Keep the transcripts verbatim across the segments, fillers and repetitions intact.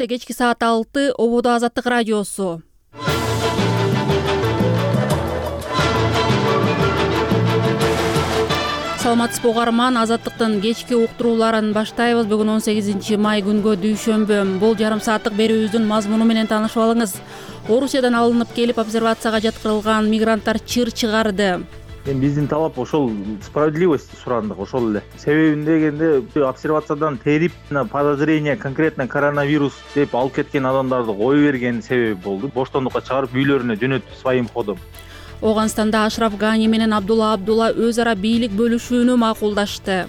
Кечки саат алты Ободо Азаттык радиосу. Саламатсызбы угарман, Азаттыктын кечки уктурууларын баштайбыз. Бүгүн он сегизинчи май күнгө дүйшөмбү. Бул жарым сааттык берүүбүздүн мазмуну менен таанышып алыңыз. Орусиядан алынып келип обсервацияга жаткырылган мигранттар чыр чыгарды. Эми биздин талап ошол справедливость сурандык, ошол эле. Себебин дегенде обсервациядан терип подозрение конкретно коронавирус деп алып кеткен адамдарды кое берген себеби болду. Боштондукка чыгарып үйлөрүнө жөнөттү своим ходом. Оганстанда Ашраф Гани менен Абдулла Абдулла өз ара бийлик бөлүшүүнү макулдашты.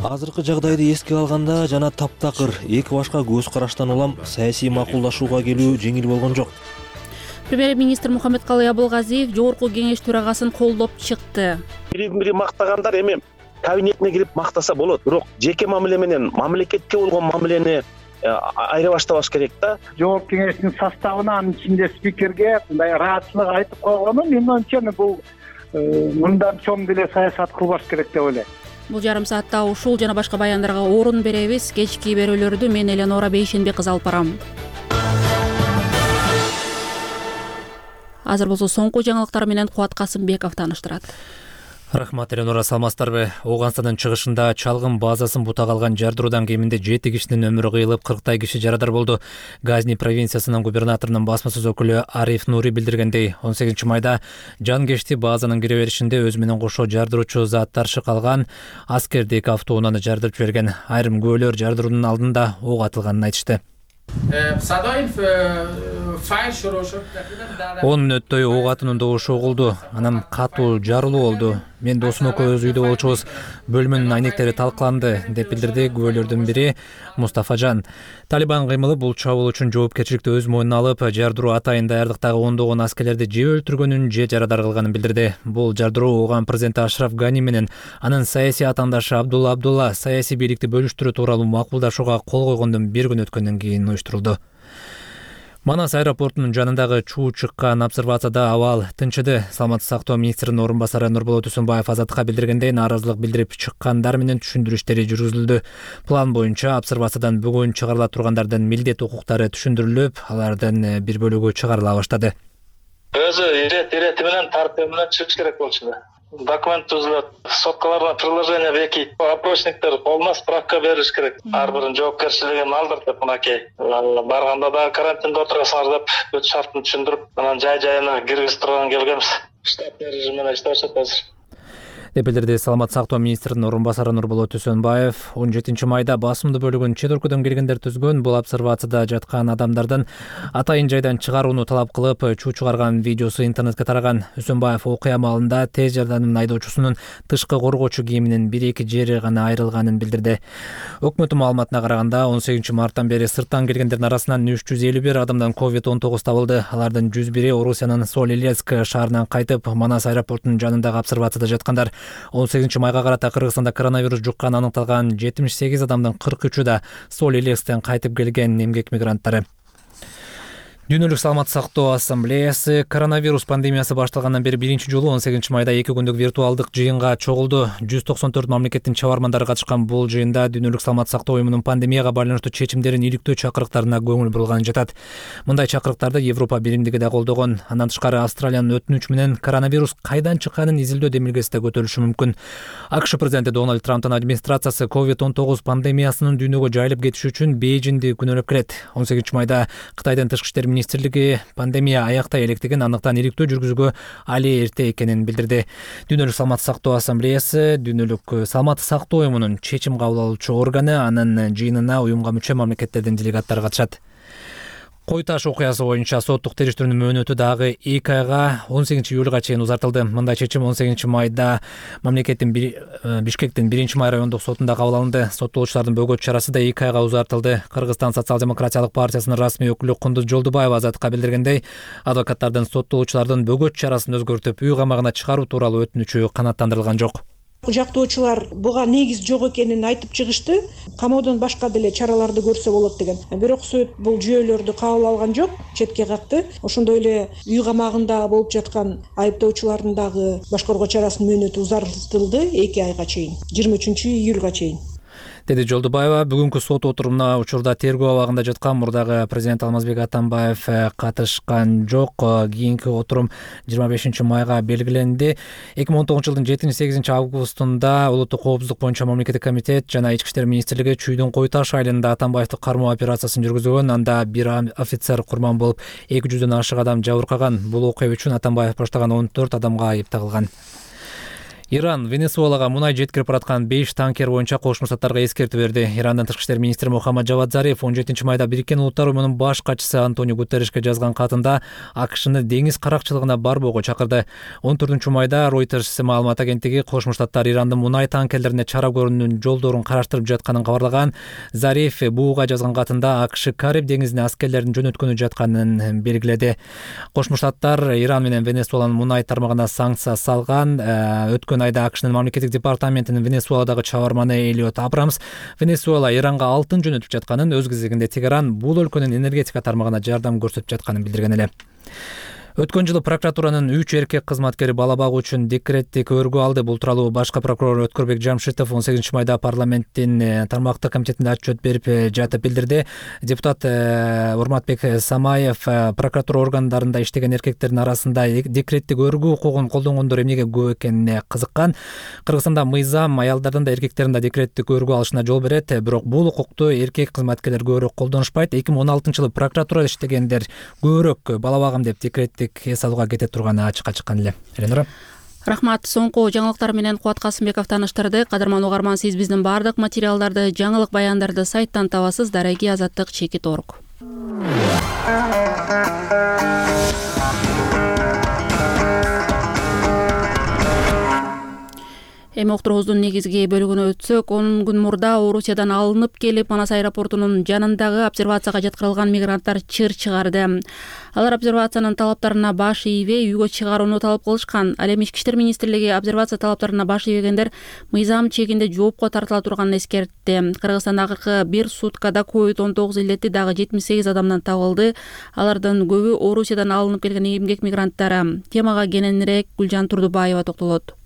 Азыркы жагдайды эске алганда жана таптакыр эки башка көз караштан улам саясий макулдашууга келүү жеңил болгон жок. Премьер-министр Мухаммедкалый Абылгазиев жогорку кеңеш төрагасын колдоп чыкты. Бири-бири мактагандар эми кабинетине кирип мактаса болот, бирок жеке мамиле менен мамлекетке болгон мамилени айыра баштабаш керек да. Жогорку кеңештин составына, анын ичинде спикерге мындай ыраатчылык айтып койгону мен оюмча бул мындан чоң деле саясат кылбаш керек деп ойлойм. Бул жарым саатта ушул жана башка баяндарга орун беребиз. Кечки берүүлөрдү мен Эленора Бейшенбек кызы алып барам. Азыр болсо соңку жаңылыктар менен Кубат Касымбеков тааныштырат. Рахмат, Эленора, саламатсыздарбы? Оганстандын чыгышында чалгын базасын бута калган жардыруудан кеминде жети кишинин өмүрү кыйылып, кырктай киши жарадар болду. Газни провинциясынын губернаторунун басма-сөз өкүлү Ариф Нури билдиргендей, он сегизинчи майда жанкечти базанын кире беришинде өзү менен кошо жардыруучу заттар шыкалган аскердик автоунааны жардырып жиберген. Айрым күбөлөр жардыруунун алдында ок атылганын айтышты. он мүнөттөй ок атуунун добушу угулду. Анан катуу жарылуу болду. Мен досум экөөбүз үйдө болчубуз. Бөлмөнүн айнектери талкаланды, деп билдирди күбөлөрдүн бири Мустафажан. Талибан кыймылы бул чабуул үчүн жоопкерчиликти өз мойнуна алып, жардыруу атайын даярдыктагы ондогон аскерлерди же өлтүргөнүн, же жарадар кылганын билдирди. Бул жардыруу Оган президенти Ашраф Гани менен анын саясий атаандашы Абдулла Абдулла саясий бийликти бөлүштүрүү тууралуу макулдашууга кол койгондон бир күн өткөндөн кийин уюштурулду. Манас аэропортунун жанындагы чуу чыккан обсервацияда абал тынчыды. Саламаттык сактоо министринин орун басары Нурболот Усунбаев Азаттыкка билдиргендей, нааразылык билдирип чыккандар менен түшүндүрүү иштери жүргүзүлдү. План боюнча обсервациядан бүгүн чыгарыла тургандардын милдет укуктары түшүндүрүлүп, алардын бир бөлүгү чыгарыла баштады. Өзү ирет ирети менен тартиби менен чыгыш керек болчу. Документ түзүлөт, соткаларына приложение бекит, опросниктер колуна справка бериш керек. Ар биринин жоопкерчилигин алдыртып, мынакей барганда да карантинде отурасыңар деп бүт шартын түшүндүрүп, анан жай-жайына киргизип турган келгенбиз. Штатный режим менен иштешет азыр. деп билдирди саламаттык сактоо министринин орун басары Нурболот Усунбаев. он жетинчи майда басымдуу бөлүгүн чет өлкөдөн келгендер түзгөн. Бул обсервацияда жаткан адамдардын атайын жайдан чыгарууну талап кылып, чуу чыгарган видеосу интернетке тараган. Усунбаев окуя маалында тез жардамдын айдоочусунун тышкы коргоочу кийиминин бир-эки жери гана айрылганын билдирди. Өкмөттүн маалыматына караганда он сегизинчи марттан бери сырттан келгендердин арасынан үч жүз элүү бир адамдан ковид он тогуз табылды. Алардын жүз бири Орусиянын Соль-Илецк шаарынан кайтып, Манас аэропортунун жанындагы обсервацияда жаткандар. он сегизинчи майга карата Кыргызстанда коронавирус жукканы аныкталган жетимиш сегиз адамдын кырк үчү да Соль-Илецктен кайтып келген эмгек мигранттары. Дүйнөлүк саламаттык сактоо ассамблеясы коронавирус пандемиясы башталгандан бери биринчи жолу он сегизинчи майда эки күндүк виртуалдык жыйынга чогулду. жүз токсон төрт мамлекеттин чабармандары катышкан бул жыйында Дүйнөлүк саламаттык сактоо уюмунун пандемияга байланыштуу чечимдерин иликтөө чакырыктарына көңүл бурулганы жатат. Мындай чакырыктарды Европа биримдиги да колдогон. Андан тышкары Австралиянын өтүнүчү менен коронавирус кайдан чыкканын изилдөө демилгеси да көтөрүлүшү мүмкүн. АКШ президенти Дональд Трамптын администрациясы ковид он тогуз пандемиясынын дүйнөгө жайылып кетиши үчүн Бейжиңди күнөөлөп келет. он сегизинчи майда Кытайдын тышкы иштер министрлиги пандемия аяктай электигин, андыктан иликтөө жүргүзүүгө али эрте экенин билдирди. Дүйнөлүк саламаттык сактоо ассамблеясы Дүйнөлүк саламаттык сактоо уюмунун чечим кабыл алуучу органы, анын жыйынына уюмга мүчө мамлекеттердин делегаттары катышат. Кой таш окуясы боюнча соттук териштирүүнүн мөөнөтү дагы эки айга он сегизинчи июлга чейин узартылды. Мындай чечим он сегизинчи майда мамлекеттин Бишкектин биринчи май райондук сотунда кабыл алынды. Соттолуучулардын бөгөт чарасы да эки айга узартылды. Кыргызстан социал-демократиялык партиясынын расмий өкүлү Кундуз Жолдубаева Азаттыкка билдиргендей, адвокаттардын соттолуучулардын бөгөт чарасын өзгөртүп үй камагына чыгаруу тууралуу өтүнүчү канааттандырылган жок. Жактоочулар буга негиз жок экенин айтып чыгышты. Камоодон башка деле чараларды көрсө болот деген. Бирок суд бул жүйөлөрдү кабыл алган жок, четке какты. Ошондой эле үй камагында болуп жаткан айыптоочулардын дагы башкаруу чарасынын мөөнөтү узартылды эки айга чейин, жыйырма үчүнчү июлга чейин. деди Жолдубаева. Бүгүнкү сот отурумуна учурда тергөө абагында жаткан мурдагы президент Алмазбек Атамбаев катышкан жок. Кийинки отурум жыйырма бешинчи майга белгиленди. эки миң он тогузунчу жылдын жетинчи сегизинчи августунда улуттук коопсуздук боюнча мамлекеттик комитет жана Ички иштер министрлиги Чүйдүн Кой Таш айылында Атамбаевди кармоо операциясын жүргүзгөн. Анда бир офицер курман болуп, эки жүздөн ашык адам жабыркаган. Бул окуя үчүн Атамбаев баштаган он төрт адамга айып тагылган. Иран Венесуэлага мунай жеткирип бараткан беш танкер боюнча Кошмо Штаттарга эскертүү берди. Ирандын тышкы иштер министри Мухаммад Жавад Зариф он жетинчи майда Бириккен Улуттар уюмунун баш катчысы Антонио Гутерришке жазган катында АКШны деңиз каракчылыгына барбоого чакырды. он төртүнчү майда Reuters маалымат агенттиги Кошмо Штаттар Ирандын мунай танкерлерине чара көрүүнүн жолдорун караштырып жатканын кабарлаган. Зариф бууга жазган катында АКШ Кариб деңизине аскерлерин жөнөткөнү жатканын белгиледи. Кошмо Штаттар Иран менен Венесуэланын мунай тармагына санкция салган. Өткөн айда АКШнын мамлекеттик департаментинин Венесуэладагы чабарманы Элиот Абрамс Венесуэла Иранга алтын жөнөтүп жатканын, өз кезегинде Тегеран бул өлкөнүн энергетика тармагына жардам көрсөтүп жатканын билдирген эле. Өткөн жылы прокуратуранын үч эркек кызматкери бала багуу үчүн декреттик өргө алды. Бул тууралуу башкы прокурор Өткөрбек Жамшитов он сегизинчи майда парламенттин тармактык комитетинде отчет берип жатып билдирди. Депутат Урматбек Самаев прокуратура органдарында иштеген эркектердин арасында декреттик өргүү укугун колдонгондор эмнеге көп экенине кызыккан. Кыргызстанда мыйзам аялдардын да эркектердин да декреттик өргүү алышына жол берет, бирок бул укукту эркек кызматкерлер көбүрөөк колдонушпайт. эки миң он алтынчы жылы прокуратурада иштегендер көбүрөөк бала багам деп декреттик эс алууга кете турганы ачыкка чыккан эле. Эленора. Рахмат. Соңку жаңылыктар менен Кубат Касымбеков таныштырды. Кадырман угарман, сиз биздин бардык материалдарды, жаңылык баяндарды сайттан табасыз. Дареги Азаттык чекит орг. Эми уктуруубуздун негизги бөлүгүнө өтсөк, он күн мурда Орусиядан алынып келип, Манас аэропортунун жанындагы обсервацияга жаткырылган мигранттар чыр чыгарды. Алар обсервациянын талаптарына баш ийбей, үйгө чыгарууну талап кылышкан. Ал эми Ички иштер министрлиги обсервация талаптарына баш ийбегендер мыйзам чегинде жоопко тартыла турганын эскертти. Кыргызстандагы бир суткада ковид он тогуз илдети дагы жетимиш сегиз адамдан табылды. Алардын көбү Орусиядан алынып келген эмгек мигранттары. Темага кененирээк Гүлжан Турдубаева токтолот.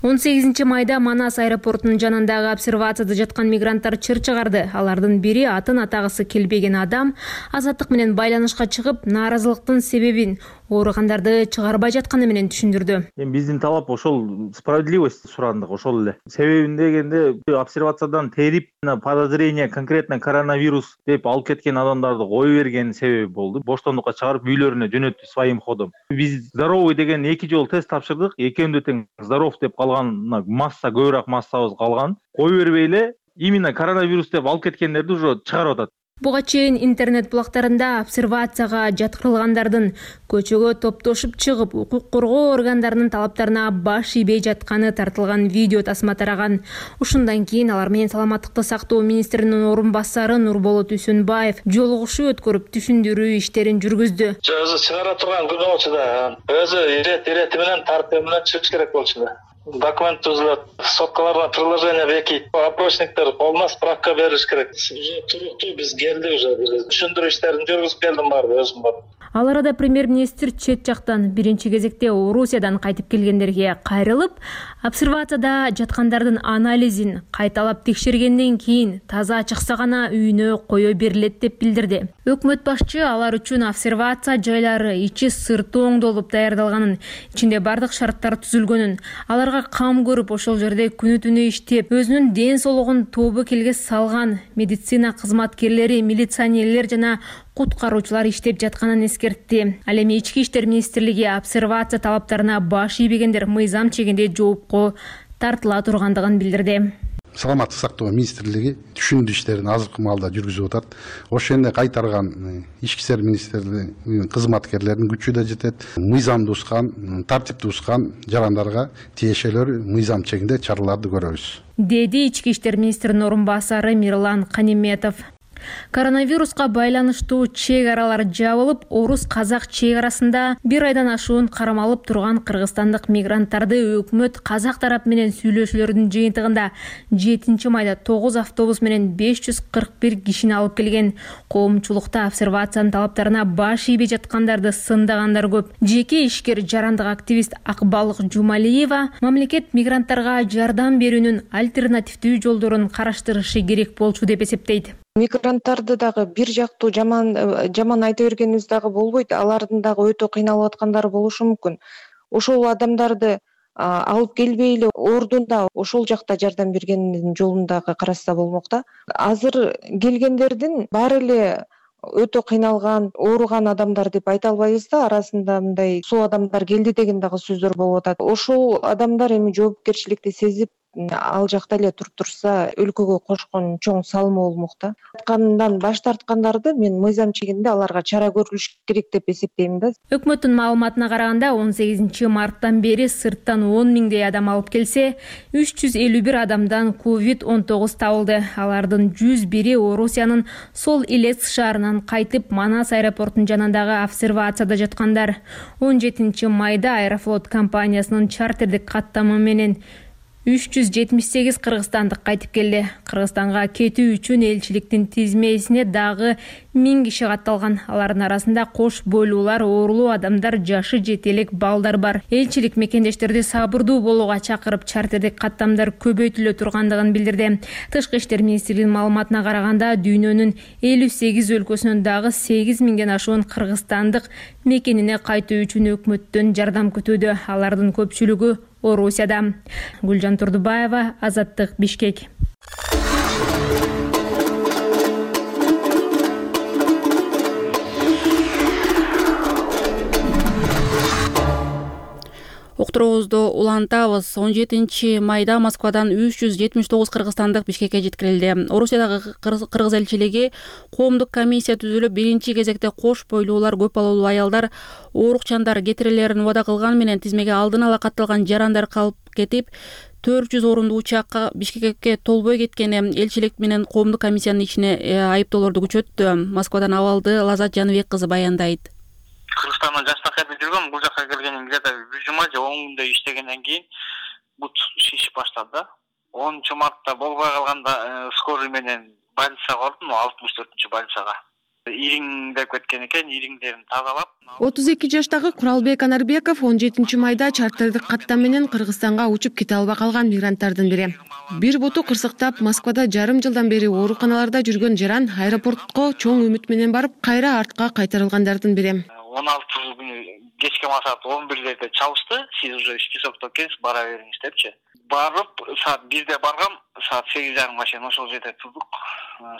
он сегизинчи майда Манас аэропортунун жанындагы обсервацияда жаткан мигранттар чыр чыгарды. Алардын бири атын атагысы келбеген адам Азаттык менен байланышка чыгып, нааразылыктын себебин ооругандарды чыгарбай жатканы менен түшүндүрдү. Эми биздин талап ошол справедливость сурандык, ошол эле. Себебин дегенде обсервациядан терип, подозрение конкретно коронавирус деп алып кеткен адамдарды кое берген себеби болду. Боштондукка чыгарып үйлөрүнө жөнөттү своим ходом. Биз здоровый деген эки жолу тест тапшырдык. Экөөндө тең здоров деп калган масса, көбүрөөк массабыз калган. Кое бербей эле именно коронавирус деп алып кеткендерди уже чыгарып атат. Буга чейин интернет булактарында обсервацияга жаткырылгандардын көчөгө топтошуп чыгып, укук коргоо органдарынын талаптарына баш ийбей жатканы тартылган видео тасма тараган. Ушундан кийин алар менен саламаттыкты сактоо министринин орун басары Нурболот Үсөнбаев жолугушуу өткөрүп түшүндүрүү иштерин жүргүздү. Өзү чыгара турган күнү болчу да, өзү ирет ирети менен тартуу менен чыгыш керек болчу да. Документ түзүлөт, соткаларга приложение бекит, опросниктер колуна справка бериш керек. Туруктуу биз келди уже, түшүндүрүү иштерин жүргүзүп келдим баары өзүм бар. Ал арада премьер-министр чет жактан биринчи кезекте Орусиядан кайтып келгендерге кайрылып, обсервацияда жаткандардын анализин кайталап текшергенден кийин таза чыкса гана үйүнө кое берилет деп билдирди. Өкмөт башчы алар үчүн обсервация жайлары ичи сырты оңдолуп даярдалганын, ичинде бардык шарттар түзүлгөнүн, аларга кам көрүп ошол жерде күнү түнү иштеп, өзүнүн ден соолугун тобокелге салган медицина кызматкерлери, милиционерлер жана куткаруучулар иштеп жатканын эскертти. Ал эми Ички иштер министрлиги обсервация талаптарына баш ийбегендер мыйзам чегинде жоопко тартыла тургандыгын билдирди. Саламаттык сактоо министрлиги түшүндүрүү иштерин азыркы маалда жүргүзүп атат. Ошондой кайтарган Ички иштер министрлигинин кызматкерлеринин күчү да жетет. Мыйзамды ускан, тартипти ускан жарандарга тиешелүү мыйзам чегинде чараларды көрөбүз, деди Ички иштер министринин орун басары Мирлан Каниметов. Коронавируска байланыштуу чек аралар жабылып, орус-казак чек арасында бир айдан ашуун кармалып турган кыргызстандык мигранттарды өкмөт казак тарап менен сүйлөшүүлөрдүн жыйынтыгында жетинчи майда тогуз автобус менен беш жүз кырк бир кишини алып келген. Коомчулукта обсервациянын талаптарына баш ийбей жаткандарды сындагандар көп. Жеке ишкер жарандык активист Акбалык Жумалиева мамлекет мигранттарга жардам берүүнүн альтернативдүү жолдорун караштырышы керек болчу деп эсептейт. Мигранттарды дагы бир жактуу жаман жаман айта бергенибиз дагы болбойт. Алардын дагы өтө кыйналып аткандары болушу мүмкүн. Ошол адамдарды алып келбей эле ордунда ошол жакта жардам бергендин жолун дагы карашса болмок да. Азыр келгендердин баары эле өтө кыйналган, ооруган адамдар деп айта албайбыз да. Арасында мындай суу адамдар келди деген дагы сөздөр болуп атат. Ошол адамдар эми жоопкерчиликти сезип ал жакта эле туруп турса, өлкөгө кошкон чоң салымы болмок да. Аткандан баш тарткандарды мен мыйзам чегинде аларга чара көрүлүш керек деп эсептейм да. Өкмөттүн маалыматына караганда он сегизинчи марттан бери сырттан он миңдей адам алып келсе, үч жүз элүү бир адамдан ковид он тогуз табылды. Алардын жүз бири Орусиянын Сол Илец шаарынан кайтып, Манас аэропортунун жанындагы обсервацияда жаткандар. он жетинчи майда Аэрофлот компаниясынын чартердик каттамы менен үч жүз жетимиш сегиз кыргызстандык кайтып келди. Кыргызстанга кетүү үчүн элчиликтин тизмесине дагы миң киши катталган. Алардын арасында кош бойлуулар, оорулуу адамдар, жашы жете элек балдар бар. Элчилик мекендештерди сабырдуу болууга чакырып, чартердик каттамдар көбөйтүлө тургандыгын билдирди. Тышкы иштер министрлигинин маалыматына караганда, дүйнөнүн элүү сегиз өлкөсүнөн дагы сегиз миңден ашуун кыргызстандык мекенине кайтуу үчүн өкмөттөн жардам күтүүдө. Алардын көпчүлүгү Орусияда. Гүлжан Турдубаева, Азаттык, Бишкек. Уктуруубузду улантабыз. он жетинчи майда Москвадан үч жүз жетимиш тогуз кыргызстандык Бишкекке жеткирилди. Орусиядагы кыргыз элчилиги коомдук комиссия түзүлүп, биринчи кезекте кош бойлуулар, көп балалуу аялдар, оорукчандар кетирилерин убада кылган менен тизмеге алдын ала катталган жарандар калып кетип, төрт жүз орундуу учакка Бишкекке толбой кеткени элчилик менен коомдук комиссиянын ишине айыптоолорду күчөттү. Москвадан абалды Лазат Жаныбек кызы баяндайт. Кыргызстандан жаштакерде жүргөм, бул жака келгеним где-то бир жума же он күндөй иштегенден кийин бут шишип баштады да. онунчу мартта болбой калганда скорый менен больницага бардым, алтымыш төртүнчү больницага. Ириңдеп кеткен экен, ириңдерин тазалап. отуз эки жаштагы Куралбек Анарбеков он жетинчи майда чартердик каттам менен Кыргызстанга учуп кете албай калган мигранттардын бири. Бир буту кырсыктап, Москвада жарым жылдан бери ооруканаларда жүргөн жаран аэропортко чоң үмүт менен барып, кайра артка кайтарылгандардын бири. он алты күнү кечке саат он бирде чалышты. Сиз уже списокто экенсиз, бара бериңиз депчи. Барып, саат бирде баргам, саат сегиз жарымга чейин ошол жерде турдук.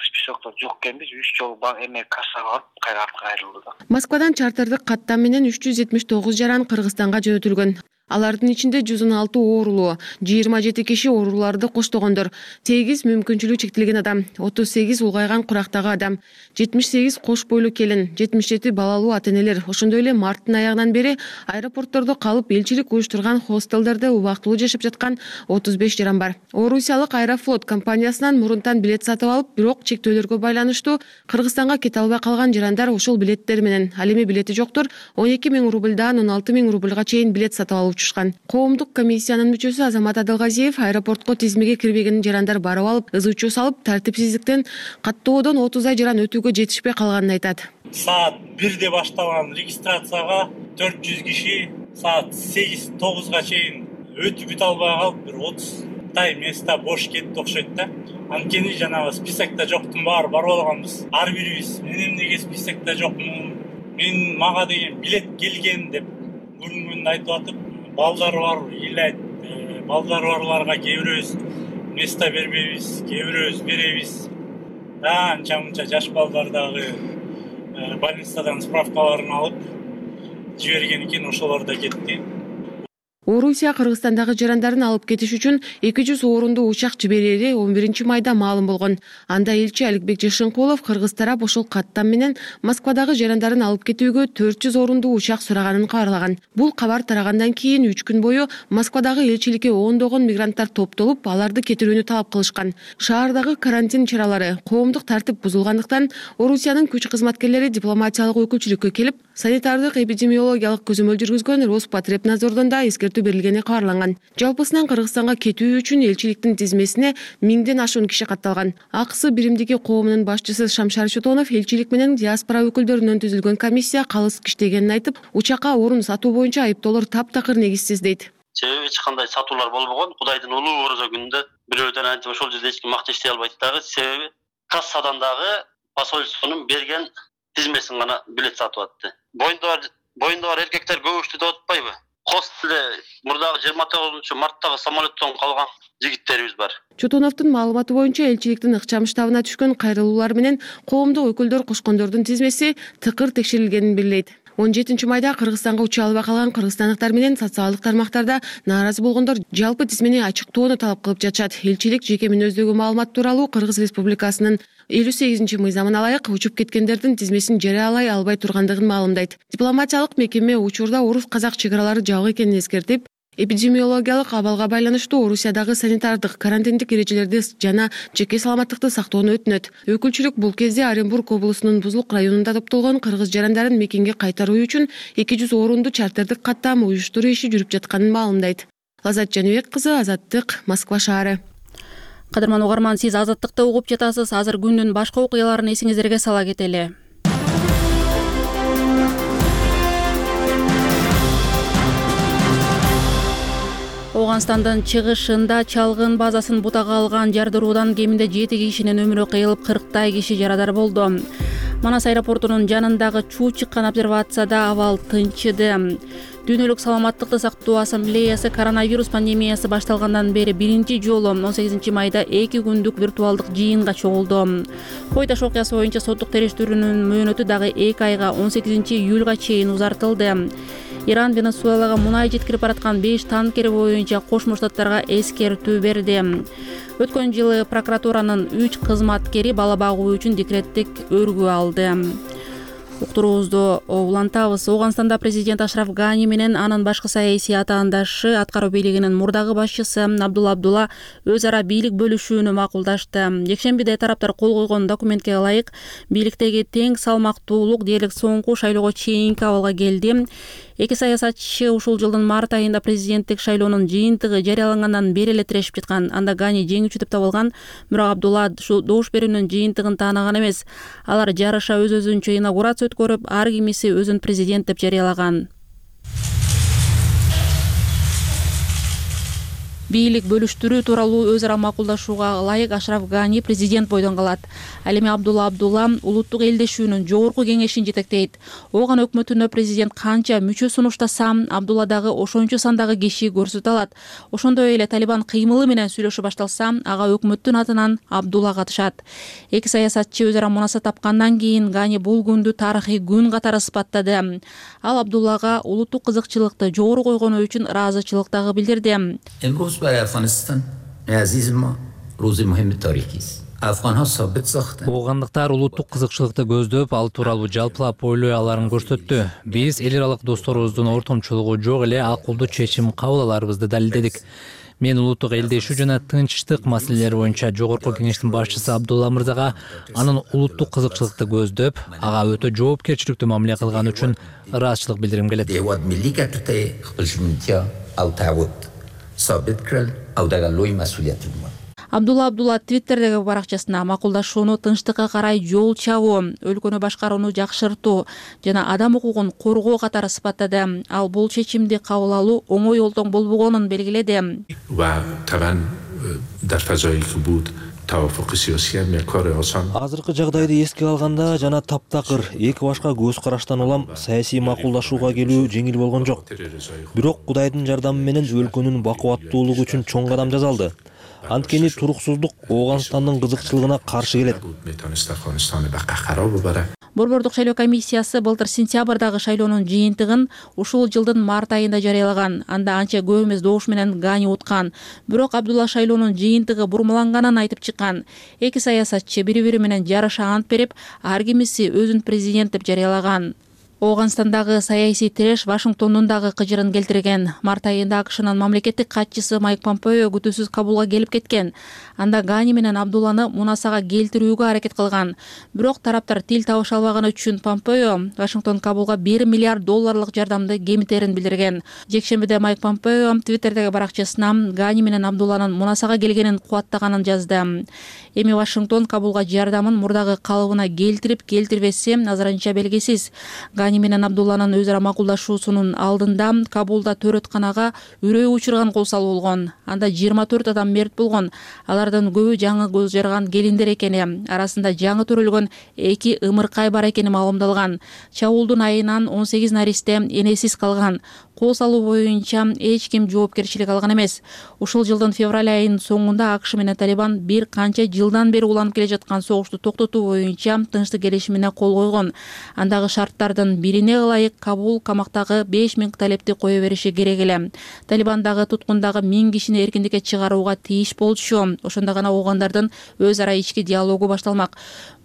Списокто жок экенбиз, үч жолу эме кассага барып, кайра артка кайрылды. Москвадан чартердик каттам менен үч жүз жетимиш тогуз жаран Кыргызстанга жөнөтүлгөн. Алардын ичинде жүз он алты оорулуу, жыйырма жети киши ооруларды коштогондор, сегиз мүмкүнчүлүгү чектелген адам, отуз сегиз улгайган курактагы адам, жетимиш сегиз кош бойлуу келин, жетимиш жети балалуу ата-энелер. Ошондой эле марттын аягынан бери аэропорттордо калып, элчилик уюштурган хостелдерде убактылуу жашап жаткан отуз беш жаран бар. Орусиялык Аэрофлот компаниясынан мурунтан билет сатып алып, бирок чектөөлөргө байланыштуу Кыргызстанга кете албай калган жарандар ошол билеттер менен, ал эми билети жоктор он эки миң рубльдан он алты миң рубльга чейин билет сатып алып учушкан. Коомдук комиссиянын мүчөсү Азамат Адылгазиев аэропортко тизмеге кирбеген жарандар барып алып, ызы чуу салып, тартипсиздиктен каттоодон отуз ай жаран өтүүгө жетишпей калганын айтат. Саат бирде башталган регистрацияга төрт жүз киши саат сегиз тогузга чейин өтүп бүтө албай калып, бир отуздай места бош кетти окшойт да. Анткени жанагы списокто жоктун баары барып алганбыз. Ар бирибиз мен эмнеге списокто жокмун, мен мага деген билет келген деп көрүнгөнүн айтып атып, балдары бар, илет, балдары барларга кээ бирөөбүз места бербейбиз, кээ бирөөбүз беребиз. Анча-мынча жаш балдар дагы больницадан справкаларын алып жиберген экен, ошолор да кетти. Орусия Кыргызстандагы жарандарын алып кетиш үчүн эки жүз орунду учак жиберери он биринчи майда маалым болгон. Анда элчи Аликбек Жашынкулов кыргыз тарап ошол каттам менен Москвадагы жарандарын алып кетүүгө төрт жүз орунду учак сураганын кабарлаган. Бул кабар тарагандан кийин үч күн бою Москвадагы элчиликке ондогон мигранттар топтолуп, аларды кетирүүнү талап кылышкан. Шаардагы карантин чаралары, коомдук тартип бузулгандыктан Орусиянын күч кызматкерлери дипломатиялык өкүлчүлүккө келип, санитардык эпидемиологиялык көзөмөл жүргүзгөн Роспотребнадзордон да эскертүү берилгени кабарланган. Жалпысынан Кыргызстанга кетүү үчүн элчиликтин тизмесине миңден ашуун киши катталган. Аксы биримдиги коомунун башчысы Шамшар Чотонов элчилик менен диаспора өкүлдөрүнөн түзүлгөн комиссия калыс иштегенин айтып, учакка орун сатуу боюнча айыптоолор таптакыр негизсиз дейт. Себеби эч кандай сатуулар болбогон. Кудайдын улуу орозо күнүндө бирөөдөн антип ошол жерде эч ким акча иштей албайт дагы. Себеби кассадан дагы посольствонун берген тизмесин гана билет сатып атты. Боюнда бар боюнда бар эркектер көбүштү деп атпайбы? Хостелде мурдагы жыйырма тогузунчу марттагы самолеттон калган жигиттерибиз бар. Чотоновдун маалыматы боюнча элчиликтин ыкчам штабына түшкөн кайрылуулар менен коомдук өкүлдөр кошкондордун тизмеси тыкыр текшерилгенин билдирет. он жетинчи майда Кыргызстанга уча албай калган кыргызстандыктар менен социалдык тармактарда нааразы болгондор жалпы тизмени ачыктоону талап кылып жатышат. Элчилик жеке мүнөздөгү маалымат тууралуу Кыргыз Республикасынын элүү сегизинчи мыйзамына ылайык учуп кеткендердин тизмесин жарыялай албай тургандыгын маалымдайт. Дипломатиялык мекеме учурда орус-казак чек аралары жабык экенин эскертип, эпидемиологиялык абалга байланыштуу Орусиядагы санитардык, карантиндик эрежелерди жана жеке саламаттыкты сактоону өтүнөт. Өкүлчүлүк бул кезде Оренбург облусунун Бузулук районунда топтолгон кыргыз жарандарын мекенге кайтаруу үчүн эки жүз орунду чартердик каттам уюштуруу иши жүрүп жатканын маалымдайт. Лазат Жаныбек кызы, Азаттык, Москва шаары. Кадырман угарман, сиз Азаттыкты угуп жатасыз. Азыр күндүн башка окуяларын эсиңиздерге сала кетели. Ооганстандын чыгышында чалгын базасын бутага алган жардыруудан кеминде жети кишинин өмүрү кыйылып, кырктай киши жарадар болду. Манас аэропортунун жанындагы чуу чыккан обсервацияда абал тынчыды. Дүйнөлүк саламаттыкты сактоо ассамблеясы коронавирус пандемиясы башталгандан бери биринчи жолу он сегизинчи майда эки күндүк виртуалдык жыйынга чогулду. Кой Таш окуясы боюнча соттук териштирүүнүн мөөнөтү дагы эки айга он сегизинчи июлга чейин узартылды. Иран Венесуэлага мунай жеткирип бараткан беш танкери боюнча Кошмо Штаттарга эскертүү берди. Өткөн жылы прокуратуранын үч кызматкери бала багуу үчүн декреттик өргүү алды. Уктуруубузду улантабыз. Ооганстанда президент Ашраф Гани менен анын башкы саясий атаандашы, аткаруу бийлигинин мурдагы башчысы Абдулла Абдулла өз ара бийлик бөлүшүүнү макулдашты. Жекшембиде тараптар кол койгон документке ылайык бийликтеги тең салмактуулук дээрлик соңку шайлоого чейинки абалга келди. Эки саясатчы ушул жылдын март айында президенттик шайлоонун жыйынтыгы жарыялангандан бери эле тирешип жаткан. Анда Гани жеңүүчү деп табылган, бирок Абдулла добуш берүүнүн жыйынтыгын таанаган эмес. Алар жарыша өз-өзүнчө инаугурация өткөрүп, ар кимиси өзүн президент деп жарыялаган. Бийлик бөлүштүрүү тууралуу өз ара макулдашууга ылайык Ашраф Гани президент бойдон калат. Ал эми Абдулла Абдулла улуттук элдешүүнүн жогорку кеңешин жетектейт. Ооган өкмөтүнө президент канча мүчө сунуштаса, Абдулла дагы ошончо сандагы киши көрсөтө алат. Ошондой эле Талибан кыймылы менен сүйлөшүү башталса, ага өкмөттүн атынан Абдулла катышат. Эки саясатчы өз ара мунаса тапкандан кийин Гани бул күндү тарыхый күн катары сыпаттады. Ал Абдуллага улуттук кызыкчылыкты жогору койгону үчүн ыраазычылык дагы билдирди. برای افغانستان عزیز ما روز مهم تاریخی است. Афганга сабит сахта. Ооғандықтар улуттук кызыкчылыкты көздөп, ал тууралуу жалпылап ойлой аларын көрсөттү. Биз эл аралык досторубуздун ортомчулугу жок эле акылдуу чечим кабыл аларыбызды далилдедик. Мен улуттук элдешүү жана тынчтык маселелери боюнча жогорку кеңештин башчысы Абдулла мырзага анын улуттук кызыкчылыкты көздөп, ага өтө жоопкерчиликтүү мамиле кылганы үчүн ыраазычылык билдиргим келет. Sabit kral awdaga loy mas'uliyati бар. Абдулла Абдулла Твиттердеги баракчасына макулдашууну тынчтыкка карай жол чабуу, өлкөнү башкарууну жакшыртуу жана адам укугун коргоо катары сыпаттады. Ал бул чечимди кабыл алуу оңой олтоң болбогонун белгиледи. Va taban dar fazoyi ki bud таваффук саясий мекор осон. Азыркы жагдайды эске алганда жана таптакыр эки башка көз караштан улам саясий макулдашууга келүү жеңил болгон жок. Бирок Кудайдын жардамы менен өлкөнүн бакубаттуулугу үчүн чоң кадам жасалды. Анткени туруксуздук Ооганстандын кызыкчылыгына каршы келет. Борбордук шайлоо комиссиясы былтыр сентябрдагы шайлоонун жыйынтыгын ушул жылдын март айында жарыялаган. Анда анча көп эмес добуш менен Гани уткан. Бирок Абдулла шайлоонун жыйынтыгы бурмаланганын айтып чыккан. Эки саясатчы бири-бири менен жарыша ант берип, ар кимиси өзүн президент деп жарыялаган. Ооганстандагы саясий тиреш Вашингтондун дагы кыжырын келтирген. Март айында АКШнын мамлекеттик катчысы Майк Помпео күтүүсүз Кабулга келип кеткен. Анда Гани менен Абдулланы мунасага келтирүүгө аракет кылган. Бирок тараптар тил табыша албаганы үчүн Помпео Вашингтон Кабулга бир миллиард долларлык жардамды кемитерин билдирген. Жекшембиде Майк Помпео Твиттердеги баракчасына Гани менен Абдулланын мунасага келгенин кубаттаганын жазды. Эми Вашингтон Кабулга жардамын мурдагы калыбына келтирип, келтирбесе азырынча белгисиз. Гани менен Абдулланын өз ара макулдашуусунун алдында Кабулда төрөтканага үрөө учурган кол салуу болгон. Анда жыйырма төрт адам мерт болгон. Алардын көбү жаңы көз жарган келиндер экени, арасында жаңы төрөлгөн эки ымыркай бар экени маалымдалган. Чабуулдун айынан он сегиз наристе энесиз калган. Кол салуу боюнча эч ким жоопкерчилик алган эмес. Ушул жылдын февраль айынын соңунда АКШ менен Талибан бир канча жылдан бери уланып келе жаткан согушту токтотуу боюнча тынчтык келишимине кол койгон. Андагы шарттардын бирине ылайык Кабул камактагы беш миң талепти кое бериши керек эле. Талибандагы туткундагы миң кишини эркиндикке чыгарууга тийиш болчу. Ошондо гана оогандардын өз ара ички диалогу башталмак.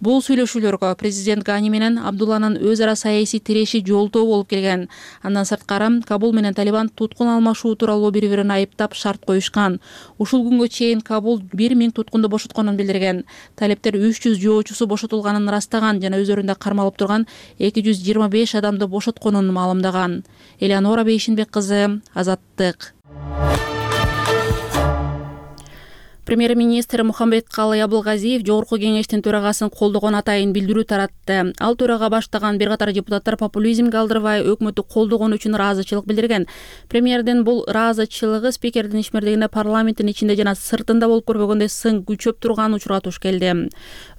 Бул сүйлөшүүлөргө президент Гани менен Абдулланын өз ара саясий тиреши жолтоо болуп келген. Андан сырткары Кабул менен Талибан туткун алмашуу тууралуу бири-бирин айыптап шарт коюшкан. Ушул күнгө чейин Кабул бир миң туткунду бошотконун билдирген. Талептер үч жүз жоочусу бошотулганын ырастаган жана өздөрүндө кармалып турган эки жүз жыйырма беш адамды бошотконун маалымдаган. Элеонора Бейшинбек кызы, Азаттык. Премьер-министр Мухамбеткалый Абылгазиев Жогорку кеңештин төрагасын колдогон атайын билдирүү таратты. Ал төрага баштаган бир катар депутаттар популизмге алдырбай өкмөттү колдогон үчүн ыраазычылык билдирген. Премьердин бул ыраазычылыгы спикердин ишмердигине парламенттин ичинде жана сыртында болуп көрбөгөндөй сын күчөп турган учурга туш келди.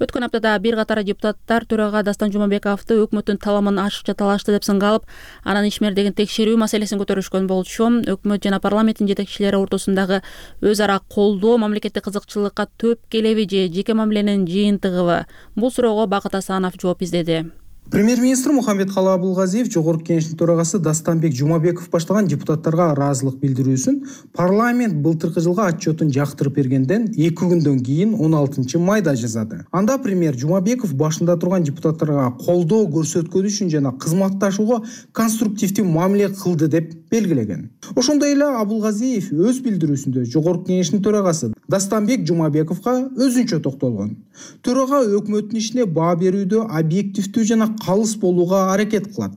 Өткөн аптада бир катар депутаттар төрага Дастан Жумабековду өкмөттүн таламын ашыкча талашты деп сынга алып, анын ишмердигин текшерүү маселесин көтөрүшкөн болчу. Өкмөт жана парламенттин жетекчилери ортосундагы өз ара колдоо мамлекеттик кызыкчылыкка төп келеби же жеке мамиленин жыйынтыгыбы? Бул суроого Бакыт Асанов жооп издеди. Премьер-министр Мухамбеткалый Абылгазиев Жогорку кеңештин төрагасы Дастанбек Жумабеков баштаган депутаттарга ыраазылык билдирүүсүн парламент былтыркы жылга отчетун жактырып бергенден эки күндөн кийин он алтынчы майда жазады. Анда премьер Жумабеков башында турган депутаттарга колдоо көрсөткөн үчүн жана кызматташууга конструктивдүү мамиле кылды деп белгилеген. Ошондой эле Абылгазиев өз билдирүүсүндө Жогорку кеңештин төрагасы Дастанбек Жумабековго өзүнчө токтолгон. Төрага өкмөттүн ишине баа берүүдө объективдүү жана калыс болууга аракет кылат.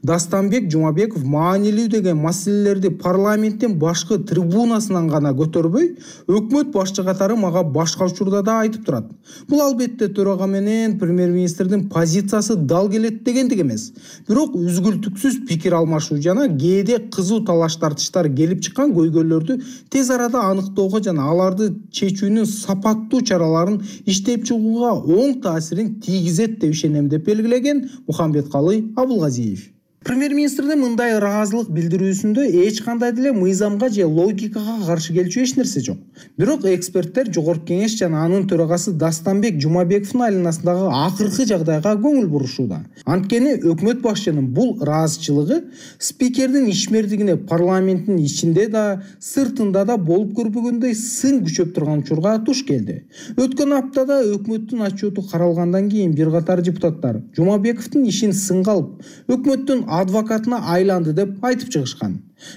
Дастанбек Жумабеков маанилүү деген маселелерди парламенттин башкы трибунасынан гана көтөрбөй, өкмөт башчы катары мага башка учурда да айтып турат. Бул албетте төрага менен премьер-министрдин позициясы дал келет дегендик эмес. Бирок үзгүлтүксүз пикир алмашуу жана кээде кызуу талаш тартыштар келип чыккан көйгөйлөрдү тез арада аныктоого жана аларды чечүүнүн сапаттуу чараларын иштеп чыгууга оң таасирин тийгизет деп ишенем деп белгилеген Мухамбеткалый Абылгазиев. Премьер-министрдин мындай ыраазылык билдирүүсүндө эч кандай деле мыйзамга же логикага каршы келчү эч нерсе жок. Бирок эксперттер Жогорку кеңеш жана анын төрагасы Дастанбек Жумабековдун айланасындагы акыркы жагдайга көңүл бурушууда. Анткени өкмөт башчынын бул ыраазычылыгы спикердин ишмердигине парламенттин ичинде да, сыртында да болуп көрбөгөндөй сын күчөп турган учурга туш келди. Өткөн аптада өкмөттүн отчету каралгандан кийин бир катар депутаттар Жумабековдун ишин сынга алып, өкмөттүн адвокатына айланды деп айтып чыгышкан.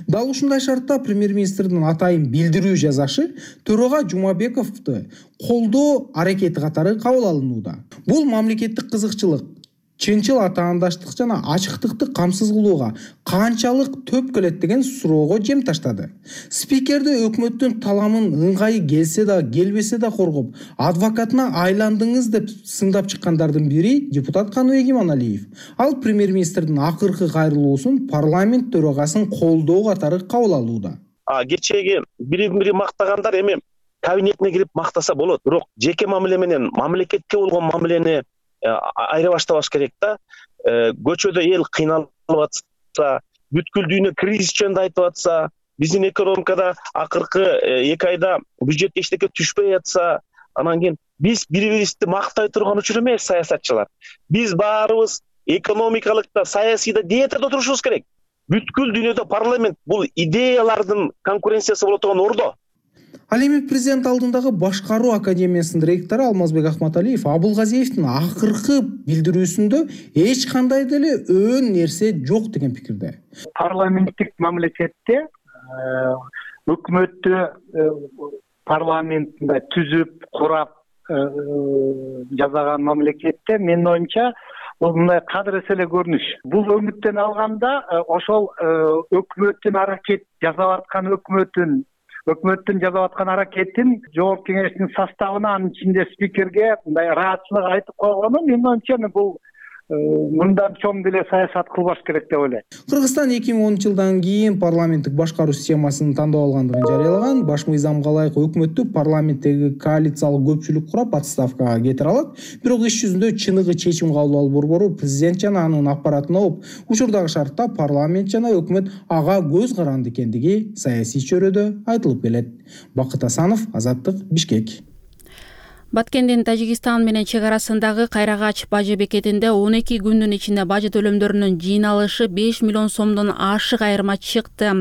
Дал ушундай шартта премьер-министрдин атайын билдирүү жазашы төрага Жумабековду колдоо аракети катары кабыл алынууда. Бул мамлекеттик кызыкчылык, чынчыл атаандаштык жана ачыктыкты камсыз кылууга канчалык төп келет деген суроого жем таштады. Спикерди өкмөттүн таламын ыңгайы келсе да, келбесе да коргоп, адвокатына айландыңыз деп сындап чыккандардын бири депутат Каныбек Иманалиев. Ал премьер-министрдин акыркы кайрылуусун парламент төрагасын колдоо катары кабыл алууда. А кечеги бири-бири мактагандар эми кабинетине кирип мактаса болот, бирок жеке мамиле менен мамлекетке болгон мамилени айыра баштабаш керек да. Көчөдө эл кыйналып атса, бүткүл дүйнө кризис жөнүндө айтып атса, биздин экономикада акыркы эки айда бюджет эчтеке түшпөй жатса, анан кийин биз бири бирибизди мактай турган учур эмес саясатчылар. Биз баарыбыз экономикалык да, саясий да диетада турушубуз керек. Бүткүл дүйнөдө парламент бул идеялардын конкуренциясы болот турган ордо. Ал эми президент алдындагы башкаруу академиясынын ректору Алмазбек Ахматалиев Абулгазиевдин акыркы билдирүүсүндө эч кандай деле өөн нерсе жок деген пикирде. Парламенттик мамлекетте өкмөттү парламентинде түзүп, курап жасаган мамлекетте менин оюмча бул мындай кадыр эселе көрүнүш. Бул өңүттөн алганда ошол өкмөттүн аракет жасап аткан өкмөттүн өкмөттүн жасап аткан аракетин жогорку кеңештин составына, анын ичинде спикерге мындай ыраатчылык айтып койгону менин оюмча бул мындан чоң деле саясат кылбаш керек деп ойлойм. Кыргызстан эки миң онунчу жылдан кийин парламенттик башкаруу системасын тандап алгандыгын жарыялаган. Баш мыйзамга ылайык өкмөттү парламенттеги коалициялык көпчүлүк курап отставкага кетире алат. Бирок иш жүзүндө чыныгы чечим кабыл алуу борбору президент жана анын аппаратын оп, учурдагы шартта парламент жана өкмөт ага көз каранды экендиги саясий чөйрөдө айтылып келет. Бакыт Асанов, Азаттык, Бишкек. Баткендин Тажикстан менен чек арасындагы Кайрагач бажы бекетинде он эки күндүн ичинде бажы төлөмдөрүнүн жыйналышы беш миллион сомдон ашык айырма чыкты.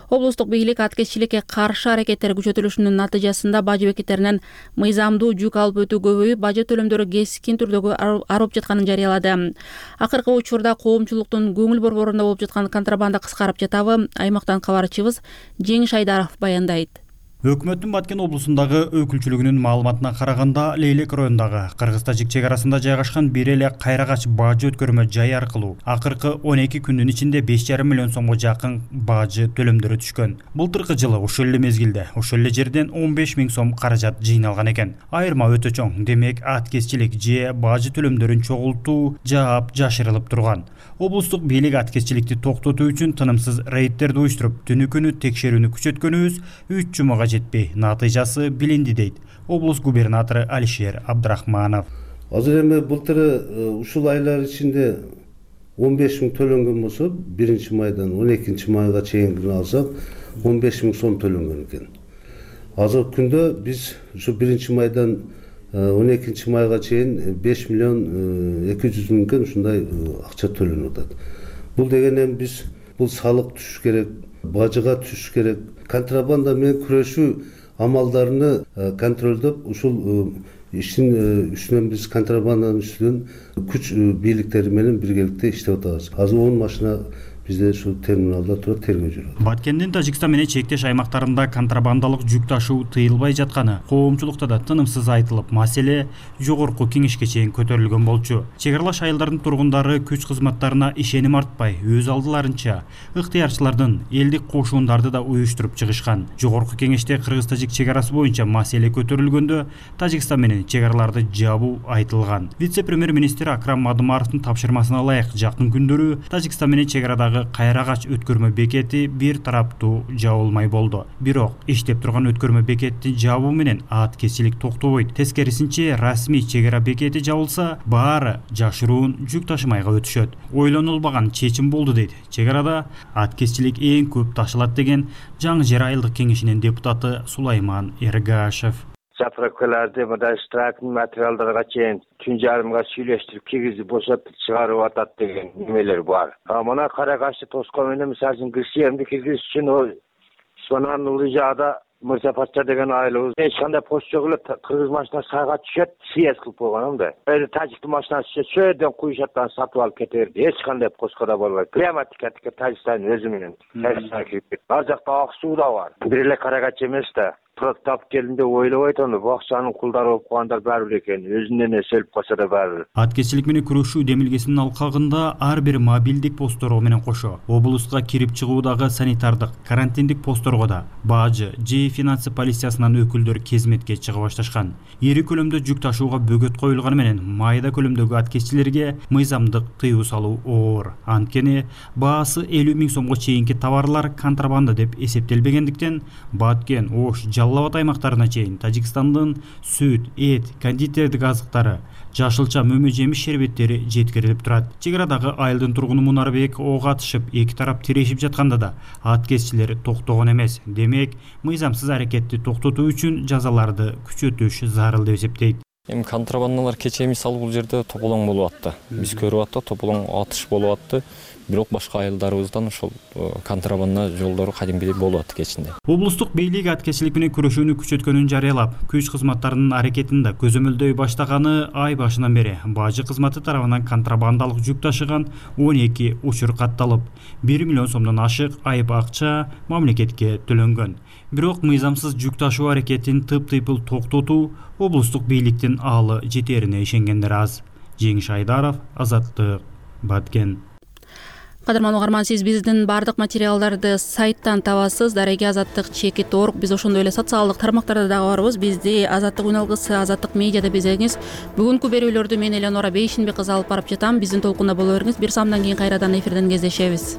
Облустук бийлик аткезчиликке каршы аракеттер күчөтүлүшүнүн натыйжасында бажы бекеттеринен мыйзамдуу жүк алып өтүү көбөйүп, бажы төлөмдөрү кескин түрдөгү арып жатканын жарыялады. Акыркы учурда коомчулуктун көңүл борборунда болуп жаткан контрабанда кыскарып жатабы? Аймактан кабарчыбыз Жеңиш Айдаров баяндайт. Өкмөттүн Баткен облусундагы өкүлчүлүгүнүн маалыматына караганда, Лейлек районундагы Кыргыз-Тажик чек арасында жайгашкан бир эле Кайрагач бажы өткөрмө жай аркылуу акыркы он эки күндүн ичинде беш жарым миллион сомго жакын бажы төлөмдөрү түшкөн. Былтыркы жылы ошол эле мезгилде ошол эле жерден он беш миң сом каражат жыйналган экен. Айырма өтө чоң. Демек, аткезчилик же бажы төлөмдөрүн чогултуу жаап жашырылып турган. Облустук бийлик аткезчиликти токтотуу үчүн тынымсыз рейдтерди уюштуруп, түнү күнү текшерүүнү күчөткөнүбүз үч жумага жетпей, натыйжасы билинди дейт облус губернатору Алишер Абдрахманов. Азыр эми былтыры ушул айлар ичинде он беш миң төлөнгөн болсо, биринчи майдан он экинчи майга чейин алсак он беш миң сом төлөнгөн экен. Азыркы күндө биз ушу биринчи майдан он экинчи майга чейин беш миллион эки жүз миңден ушундай акча төлөнүп атат. Бул деген эми биз бул салык түшүш керек, бажыга түшүш керек, контрабанда менен күрөшүү амалдарыны контролдоп, ушул иштин үстүнөн биз контрабанданын үстүнөн күч бийликтери менен биргеликте иштеп атабыз. Азыр он машина бизде ушул терминалда турат, тергөө жүрөт. Баткендин Тажикстан менен чектеш аймактарында контрабандалык жүк ташуу тыйылбай жатканы коомчулукта да тынымсыз айтылып, маселе жогорку кеңешке чейин көтөрүлгөн болчу. Чек аралаш айылдардын тургундары күч кызматтарына ишеним артпай, өз алдыларынча ыктыярчылардын элдик кошуундарды да уюштуруп чыгышкан. Жогорку кеңеште Кыргыз-Тажик чек арасы боюнча маселе көтөрүлгөндө Тажикстан менен чек араларды жабуу айтылган. Вице-премьер-министр Акрам Мадымаровдун тапшырмасына ылайык жакын күндөрү Тажикстан менен чек арадагы Кайрагач өткөрмө бекети бир тараптуу жабылмай болду. Бирок иштеп турган өткөрмө бекетти жабуу менен аткезчилик токтобойт. Тескерисинче, расмий чек ара бекети жабылса, баары жашыруун жүк ташымайга өтүшөт. Ойлонулбаган чечим болду дейт. Чек арада аткезчилик эң көп ташылат деген Жаңы Жер айылдык кеңешинин депутаты Сулайман Эргашев. Заправкаларды мындай штрафтын материалдарга чейин түн жарымга сүйлөштүрүп киргизип бошотуп чыгарып атат деген немелер бар. А мына Карагачты тоскон менен мисалы үчүн кырсыемди киргизиш үчүн сонан улуу жаада Мырза Патша деген айылыбыз эч кандай пост жок эле, кыргыз машинасы сайга түшөт, съезд кылып койгон да. Эми тажиктин машинасы түшөт, сөйдөн куйшаттан сатып алып кете берди. Эч кандай постко да болбойт. Прямо тикатикке Тажикстандын өзү менен Тажикстанга кирип кетти. Ар жакта ак суу да бар. Бир эле Карагач эмес да. Проктап келдим деп ойлобойт, аны бакчанын кулдары болуп калгандар бар бир экен. Өзүнөн эселип калса да бар. Аткезчилик менен күрөшүү демилгесинин алкагында ар бир мобилдик посторго менен кошо облуска кирип чыгуудагы санитардык, карантиндик посторго да бажы же финансы полициясынан өкүлдөр кезметке чыга башташкан. Ири көлөмдө жүк ташууга бөгөт коюлганы менен майда көлөмдөгү аткезчилерге мыйзамдык тыюу салуу оор. Анткени баасы элүү миң сомго чейинки товарлар контрабанда деп эсептелбегендиктен Баткен, Ош, Жалал Абад аймактарына чейин Тажикстандын сүт, эт, кондитердик азыктары, жашылча мөмө жемиш шербеттери жеткирилип турат. Чек арадагы айылдын тургуну Мунарбек ок атышып, эки тарап тирешип жатканда да ат кесчилер токтогон эмес. Демек, мыйзамсыз аракетти токтотуу үчүн жазаларды күчөтүш зарыл деп эсептейт. Эми контрабандалар кечээ мисалы бул жерде тополоң болуп атты. Биз көрүп аттык, тополоң атыш болуп атты. Бирок башка айылдарыбыздан ошол контрабанда жолдору кадимкидей болуп атты кечинде. Облустук бийлик аткечилик менен күрөшүүнү күчөткөнүн жарыялап, күч кызматтарынын аракетин да көзөмөлдөй баштаганы ай башынан бери бажы кызматы тарабынан контрабандалык жүк ташыган он эки учур катталып, бир миллион сомдон ашык айып акча мамлекетке төлөнгөн. Бирок мыйзамсыз жүк ташуу аракетин тып-тыйпыл токтотуу облустук бийликтин аалы жетерине ишенгендер аз. Жеңиш Айдаров, Азаттык, Баткен. Кадырман угарман, сиз биздин бардык материалдарды сайттан табасыз. Дареги Азаттык чекит орг. Биз ошондой эле социалдык тармактарда дагы барбыз. Бизди Азаттык үналгысы, Азаттык медиада безеңиз. Бүгүнкү берүүлөрдү мен Элеонора Бейшинбек кызы алып барып жатам. Биздин толкунда боло бериңиз. Бир самдан кийин кайрадан эфирден кездешебиз.